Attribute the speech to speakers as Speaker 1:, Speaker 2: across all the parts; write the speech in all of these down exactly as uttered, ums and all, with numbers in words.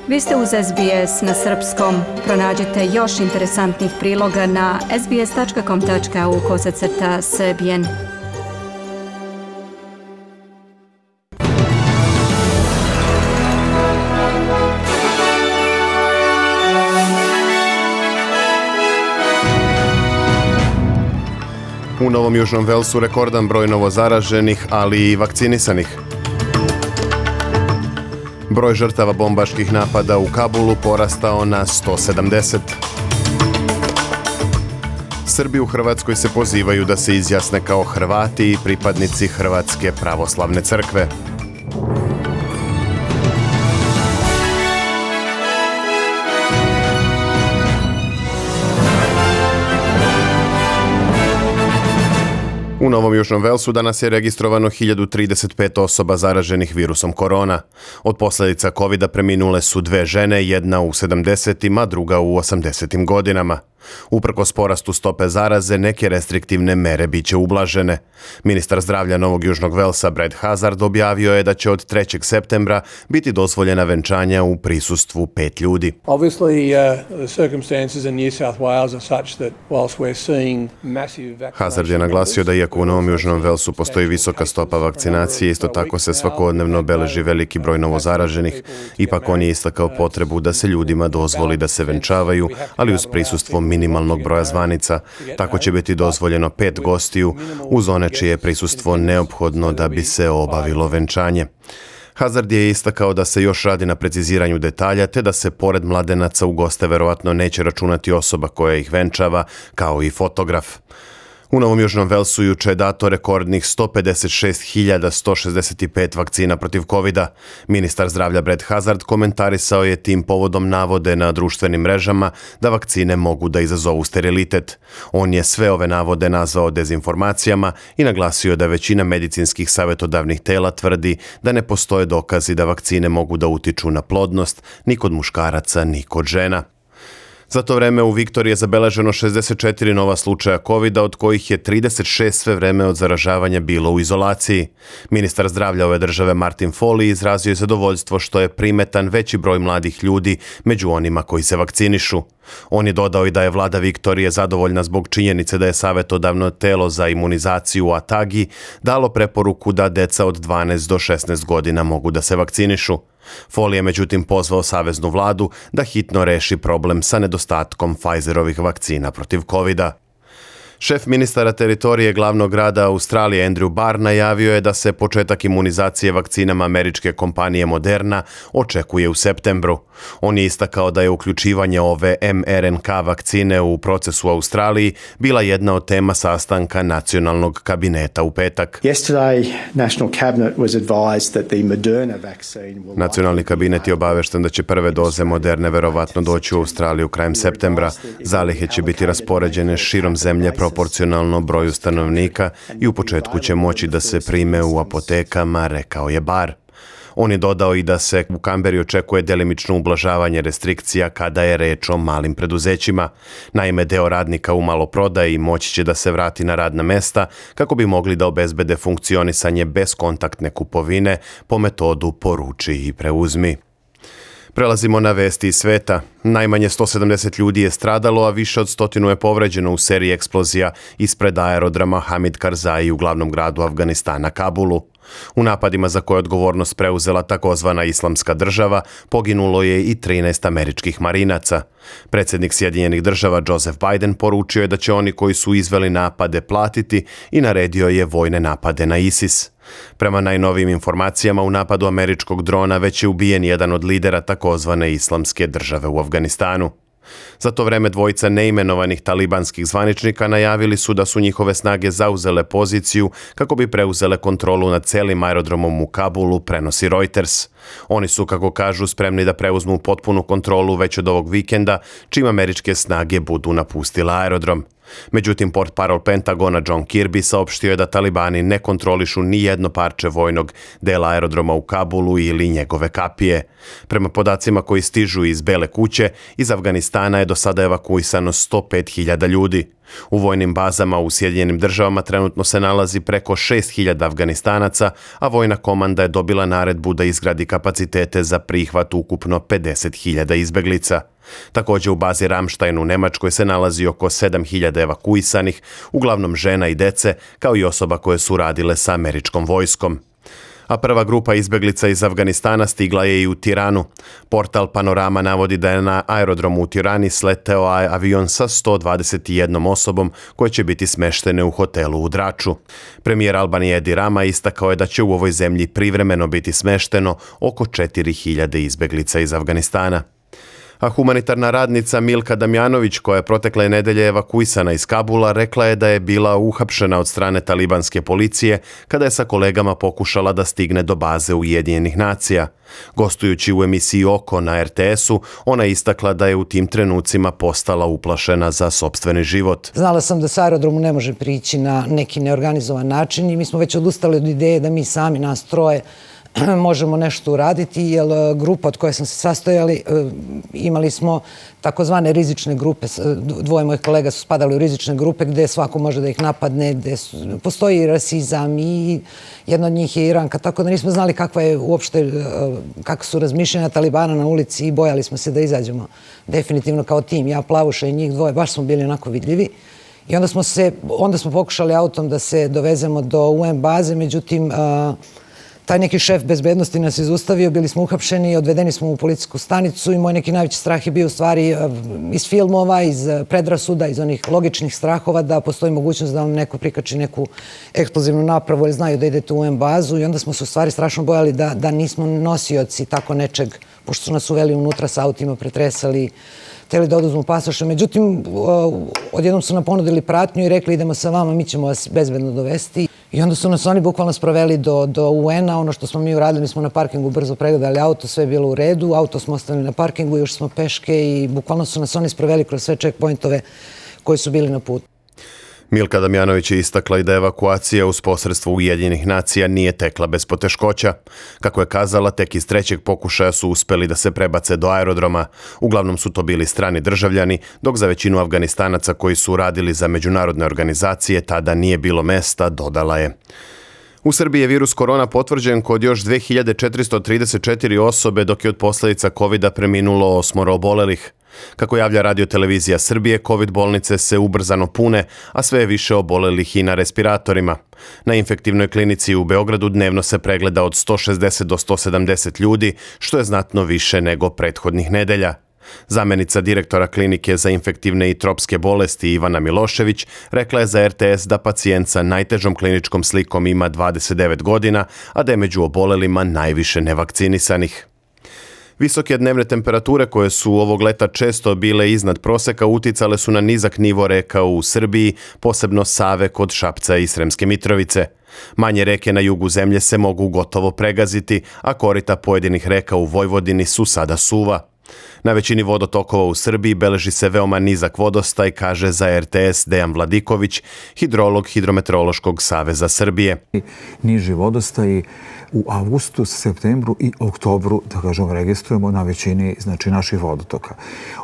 Speaker 1: Vi ste uz S B S na srpskom. Pronađite još interesantnih priloga na sbs tačka com tačka au kosacrta srbijen.
Speaker 2: U Novom Južnom Velsu rekordan broj novozaraženih, ali i vakcinisanih. Broj žrtava bombaških napada u Kabulu porastao na sto sedamdeset. Srbi u Hrvatskoj se pozivaju da se izjasne kao Hrvati i pripadnici Hrvatske pravoslavne crkve. U Novom Južnom Velsu danas je registrovano hiljadu trideset pet osoba zaraženih virusom korona. Od posljedica kovida preminule su dve žene, jedna u sedamdesetim, a druga u osamdesetim godinama. Uprkos porastu stope zaraze, neke restriktivne mere biće ublažene. Ministar zdravlja Novog Južnog Velsa Brad Hazard objavio je da će od trećeg septembra biti dozvoljena venčanja u prisustvu pet ljudi. Hazard je naglasio da iako u Novom Južnom Velsu postoji visoka stopa vakcinacije, isto tako se svakodnevno beleži veliki broj novozaraženih. Ipak on je istakao potrebu da se ljudima dozvoli da se venčavaju, ali uz prisustvo minimalnog broja zvanica. Tako će biti dozvoljeno pet gostiju uz one čije je prisustvo neophodno da bi se obavilo venčanje. Hazard je istakao da se još radi na preciziranju detalja, te da se pored mladenaca u goste verovatno neće računati osoba koja ih venčava, kao i fotograf. U Novom Južnom Velsu juče je dato rekordnih sto pedeset šest hiljada sto šezdeset pet vakcina protiv kovida. Ministar zdravlja Brad Hazard komentarisao je tim povodom navode na društvenim mrežama da vakcine mogu da izazovu sterilitet. On je sve ove navode nazvao dezinformacijama i naglasio da većina medicinskih savjetodavnih tela tvrdi da ne postoje dokazi da vakcine mogu da utiču na plodnost ni kod muškaraca ni kod žena. Za to vreme u Viktoriji je zabeleženo šezdeset četiri nova slučaja kovida, od kojih je trideset šest sve vreme od zaražavanja bilo u izolaciji. Ministar zdravlja ove države Martin Foley izrazio je zadovoljstvo što je primetan veći broj mladih ljudi među onima koji se vakcinišu. On je dodao i da je vlada Viktorije zadovoljna zbog činjenice da je savjetodavno telo za imunizaciju u Atagi dalo preporuku da deca od dvanaest do šesnaest godina mogu da se vakcinišu. Foley je međutim pozvao saveznu vladu da hitno reši problem sa nedostatkom Pfizerovih vakcina protiv kovida. Šef ministara teritorije glavnog grada Australije Andrew Barr najavio je da se početak imunizacije vakcinama američke kompanije Moderna očekuje u septembru. On je istakao da je uključivanje ove em er en ka vakcine u proces u Australiji bila jedna od tema sastanka nacionalnog kabineta u petak. Nacionalni kabinet je obavešten da će prve doze Moderne verovatno doći u Australiju krajem septembra. Zalihe će biti raspoređene širom zemlje proporcionalno broju stanovnika i u početku će moći da se prime u apotekama, rekao je Barr. On je dodao i da se u Kamberi očekuje delimično ublažavanje restrikcija kada je reč o malim preduzećima. Naime, deo radnika u maloprodaji moći će da se vrati na radna mesta kako bi mogli da obezbede funkcionisanje bez kontaktne kupovine po metodu poruči i preuzmi. Prelazimo na vesti iz sveta. Najmanje sto sedamdeset ljudi je stradalo, a više od stotinu je povređeno u seriji eksplozija ispred aerodroma Hamid Karzai u glavnom gradu Afganistana, Kabulu. U napadima za koje je odgovornost preuzela takozvana Islamska država poginulo je i trinaest američkih marinaca. Predsjednik Sjedinjenih država Joseph Biden poručio je da će oni koji su izveli napade platiti i naredio je vojne napade na ISIS. Prema najnovijim informacijama, u napadu američkog drona već je ubijen jedan od lidera takozvane Islamske države u Afganistanu. Za to vreme dvojica neimenovanih talibanskih zvaničnika najavili su da su njihove snage zauzele poziciju kako bi preuzele kontrolu nad celim aerodromom u Kabulu, prenosi Reuters. Oni su, kako kažu, spremni da preuzmu potpunu kontrolu već od ovog vikenda, čim američke snage budu napustile aerodrom. Međutim, portparol Pentagona John Kirby saopštio je da talibani ne kontrolišu ni jedno parče vojnog dela aerodroma u Kabulu ili njegove kapije. Prema podacima koji stižu iz Bele kuće, iz Afganistana je do sada evakuisano sto pet hiljada ljudi. U vojnim bazama u Sjedinjenim državama trenutno se nalazi preko šest hiljada Afganistanaca, a vojna komanda je dobila naredbu da izgradi kapacitete za prihvat ukupno pedeset hiljada izbeglica. Također u bazi Ramstein u Nemačkoj se nalazi oko sedam hiljada evakuisanih, uglavnom žena i dece, kao i osoba koje su radile sa američkom vojskom. A prva grupa izbeglica iz Afganistana stigla je i u Tiranu. Portal Panorama navodi da je na aerodromu u Tirani sleteo avion sa sto dvadeset jednom osobom koje će biti smeštene u hotelu u Draču. Premijer Albanije Edi Rama istakao je da će u ovoj zemlji privremeno biti smešteno oko četiri hiljade izbeglica iz Afganistana. A humanitarna radnica Milka Damjanović, koja je protekle nedelje evakuisana iz Kabula, rekla je da je bila uhapšena od strane talibanske policije kada je sa kolegama pokušala da stigne do baze Ujedinjenih nacija. Gostujući u emisiji Oko na er te esu, ona je istakla da je u tim trenucima postala uplašena za sopstveni život.
Speaker 3: Znala sam da sa aerodromu ne može prići na neki neorganizovan način i mi smo već odustali od ideje da mi sami, nas troje, možemo nešto uraditi, jer grupa od koje sam se sastojali, imali smo takozvane rizične grupe. Dvoje mojih kolega su spadali u rizične grupe gdje svako može da ih napadne, gdje postoji rasizam i jedna od njih je Iranka, tako da nismo znali kakva je uopšte, kako su razmišljanja Talibana na ulici i bojali smo se da izađemo definitivno kao tim. Ja, Plavuša i njih dvoje, baš smo bili onako vidljivi. I onda smo, se, onda smo pokušali autom da se dovezemo do u en baze, međutim, taj neki šef bezbednosti nas izustavio, bili smo uhapšeni, odvedeni smo u policijsku stanicu i moj neki najveći strah je bio u stvari iz filmova, iz predrasuda, iz onih logičnih strahova da postoji mogućnost da vam neko prikači neku eksplozivnu napravu ili znaju da idete u u en bazu i onda smo se u stvari strašno bojali da, da nismo nosioci tako nečeg, pošto su nas uveli unutra sa autima, pretresali, htjeli da oduzmu pasoše. Međutim, odjednom su nam ponudili pratnju i rekli idemo sa vama, mi ćemo vas bezbedno dovesti. I onda su nas oni bukvalno sproveli do, do u en-a. Ono što smo mi uradili, mi smo na parkingu brzo pregledali auto, sve je bilo u redu. Auto smo ostavili na parkingu, još smo peške i bukvalno su nas oni sproveli kroz sve checkpointove koji su bili na putu.
Speaker 2: Milka Damjanović je istakla i da evakuacija uz posredstvo Ujedinjenih nacija nije tekla bez poteškoća. Kako je kazala, tek iz trećeg pokušaja su uspeli da se prebace do aerodroma. Uglavnom su to bili strani državljani, dok za većinu Afganistanaca koji su radili za međunarodne organizacije tada nije bilo mesta, dodala je. U Srbiji je virus korona potvrđen kod još dve hiljade četiristo trideset četiri osobe, dok je od posljedica kovida preminulo osmoro obolelih. Kako javlja Radio televizija Srbije, COVID bolnice se ubrzano pune, a sve je više obolelih i na respiratorima. Na infektivnoj klinici u Beogradu dnevno se pregleda od sto šezdeset do sto sedamdeset ljudi, što je znatno više nego prethodnih nedelja. Zamenica direktora klinike za infektivne i tropske bolesti Ivana Milošević rekla je za er te es da pacijent sa najtežom kliničkom slikom ima dvadeset devet godina, a da je među obolelima najviše nevakcinisanih. Visoke dnevne temperature koje su ovog leta često bile iznad proseka uticale su na nizak nivo reka u Srbiji, posebno Save kod Šapca i Sremske Mitrovice. Manje reke na jugu zemlje se mogu gotovo pregaziti, a korita pojedinih reka u Vojvodini su sada suva. Na većini vodotokova u Srbiji beleži se veoma nizak vodostaj, kaže za er te es Dejan Vladiković, hidrolog Hidrometeorološkog saveza Srbije.
Speaker 4: Niži vodostaji u avgustu, septembru i oktobru, da kažemo, registrujemo na većini, znači, naših vodotoka.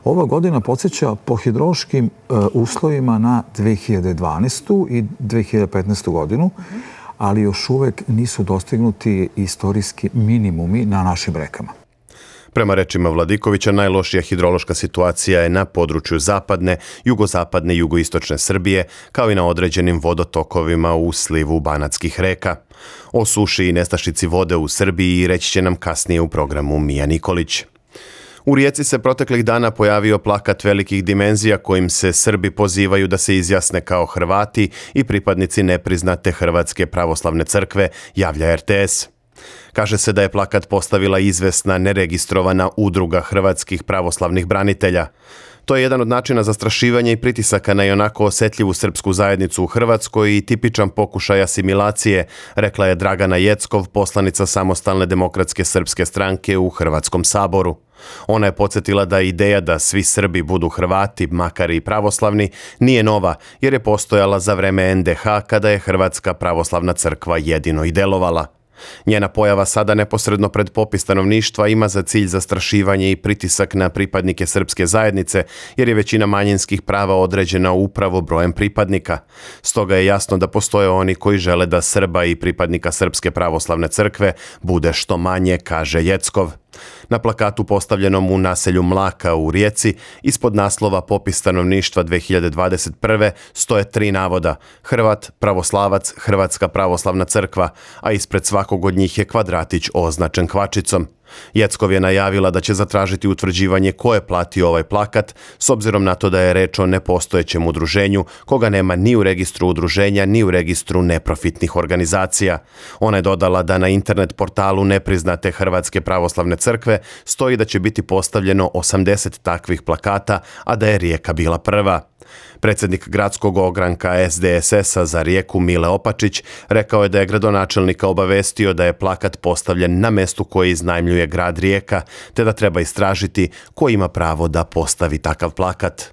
Speaker 4: Ova godina podsjeća po hidrološkim uh, uslovima na dve hiljade dvanaestu. i dve hiljade petnaestu. godinu, ali još uvek nisu dostignuti istorijski minimumi na našim rekama.
Speaker 2: Prema rečima Vladikovića, najlošija hidrološka situacija je na području zapadne, jugozapadne i jugoistočne Srbije, kao i na određenim vodotokovima u slivu banatskih reka. O suši i nestašici vode u Srbiji reći će nam kasnije u programu Mija Nikolić. U Rijeci se proteklih dana pojavio plakat velikih dimenzija kojim se Srbi pozivaju da se izjasne kao Hrvati i pripadnici nepriznate Hrvatske pravoslavne crkve, javlja er te es. Kaže se da je plakat postavila izvesna neregistrovana udruga hrvatskih pravoslavnih branitelja. To je jedan od načina zastrašivanja i pritisaka na ionako osetljivu srpsku zajednicu u Hrvatskoj i tipičan pokušaj asimilacije, rekla je Dragana Jeckov, poslanica Samostalne demokratske srpske stranke u Hrvatskom saboru. Ona je podsjetila da ideja da svi Srbi budu Hrvati, makar i pravoslavni, nije nova, jer je postojala za vreme en de ha kada je Hrvatska pravoslavna crkva jedino i delovala. Njena pojava sada neposredno pred popis stanovništva ima za cilj zastrašivanje i pritisak na pripadnike srpske zajednice, jer je većina manjinskih prava određena upravo brojem pripadnika. Stoga je jasno da postoje oni koji žele da Srba i pripadnika Srpske pravoslavne crkve bude što manje, kaže Jeckov. Na plakatu postavljenom u naselju Mlaka u Rijeci, ispod naslova Popis stanovništva dve hiljade dvadeset prve. stoje tri navoda: Hrvat, pravoslavac, Hrvatska pravoslavna crkva, a ispred svakog od njih je kvadratić označen kvačicom. Jeckov je najavila da će zatražiti utvrđivanje ko je platio ovaj plakat, s obzirom na to da je reč o nepostojećem udruženju, koga nema ni u registru udruženja, ni u registru neprofitnih organizacija. Ona je dodala da na internet portalu nepriznate Hrvatske pravoslavne crkve stoji da će biti postavljeno osamdeset takvih plakata, a da je Rijeka bila prva. Predsjednik gradskog ogranka es de es es a za Rijeku Mile Opačić rekao je da je gradonačelnika obavestio da je plakat postavljen na mestu koji iznajmljuje grad Rijeka, te da treba istražiti ko ima pravo da postavi takav plakat.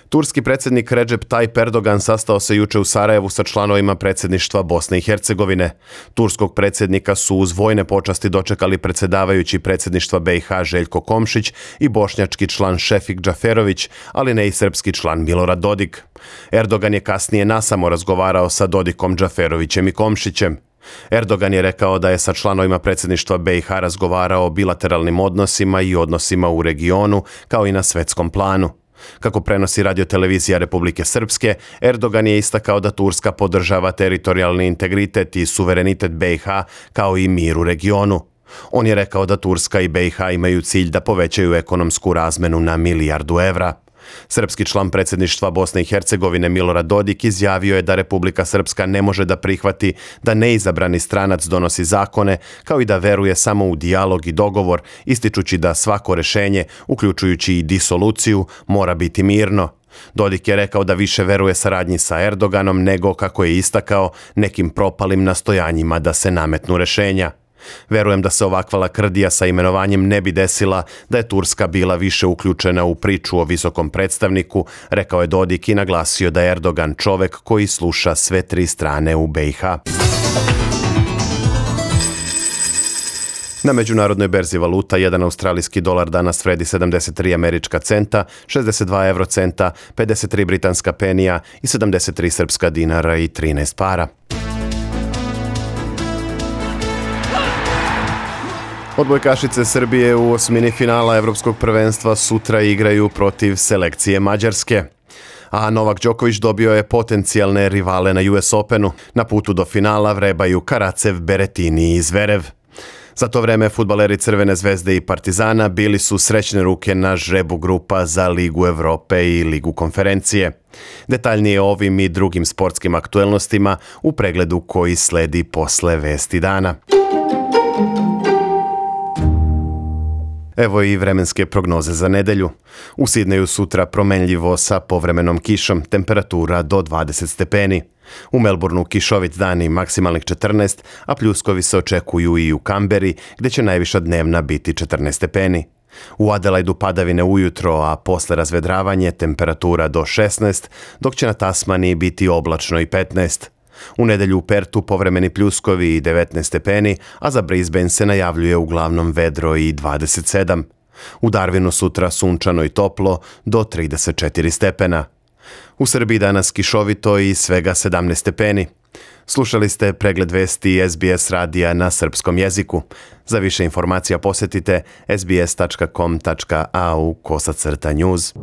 Speaker 2: Turski predsjednik Recep Tayyip Erdogan sastao se juče u Sarajevu sa članovima predsjedništva Bosne i Hercegovine. Turskog predsjednika su uz vojne počasti dočekali predsjedavajući predsjedništva be i ha Željko Komšić i bošnjački član Šefik Džaferović, ali ne i srpski član Milorad Dodik. Erdogan je kasnije nasamo razgovarao sa Dodikom, Džaferovićem i Komšićem. Erdogan je rekao da je sa članovima predsjedništva be i ha razgovarao o bilateralnim odnosima i odnosima u regionu, kao i na svetskom planu. Kako prenosi radiotelevizija Republike Srpske, Erdogan je istakao da Turska podržava teritorijalni integritet i suverenitet be i ha, kao i mir u regionu. On je rekao da Turska i be i ha imaju cilj da povećaju ekonomsku razmenu na milijardu evra. Srpski član predsjedništva Bosne i Hercegovine Milorad Dodik izjavio je da Republika Srpska ne može da prihvati da neizabrani stranac donosi zakone, kao i da veruje samo u dijalog i dogovor, ističući da svako rešenje, uključujući i disoluciju, mora biti mirno. Dodik je rekao da više veruje saradnji sa Erdoganom nego, kako je istakao, nekim propalim nastojanjima da se nametnu rešenja. Verujem da se ovakva lakrdija sa imenovanjem ne bi desila da je Turska bila više uključena u priču o visokom predstavniku, rekao je Dodik i naglasio da je Erdogan čovek koji sluša sve tri strane u be i ha. Na međunarodnoj berzi valuta jedan australijski dolar danas vredi sedamdeset tri američka centa, šezdeset dva evrocenta, pedeset tri britanska penija i sedamdeset tri srpska dinara i trinaest para. Odbojkašice Srbije u osmini finala Evropskog prvenstva sutra igraju protiv selekcije Mađarske. A Novak Đoković dobio je potencijalne rivale na u es Openu. Na putu do finala vrebaju Karacev, Berettini i Zverev. Za to vreme fudbaleri Crvene zvezde i Partizana bili su srećne ruke na žrebu grupa za Ligu Evrope i Ligu konferencije. Detaljnije o ovim i drugim sportskim aktuelnostima u pregledu koji sledi posle Vesti dana. Evo i vremenske prognoze za nedelju. U Sidneju sutra promenljivo sa povremenom kišom, temperatura do dvadeset stepeni. U Melbourneu kišovit dan i maksimalnih četrnaest, a pljuskovi se očekuju i u Kamberi, gdje će najviša dnevna biti četrnaest stepeni. U Adelaidu padavine ujutro, a posle razvedravanje temperatura do šesnaest, dok će na Tasmaniji biti oblačno i petnaest. U nedelju u Pertu povremeni pljuskovi i devetnaest stepeni, a za Brisbane se najavljuje uglavnom vedro i dvadeset sedam. U Darwinu sutra sunčano i toplo do trideset četiri stepena. U Srbiji danas kišovito i svega sedamnaest stepeni. Slušali ste pregled vesti es be es radija na srpskom jeziku. Za više informacija posjetite es be es tačka com tačka a u kosacrta news.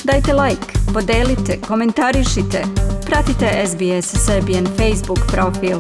Speaker 1: Dajte like, podelite, komentarišite, pratite es be es Serbian Facebook profil.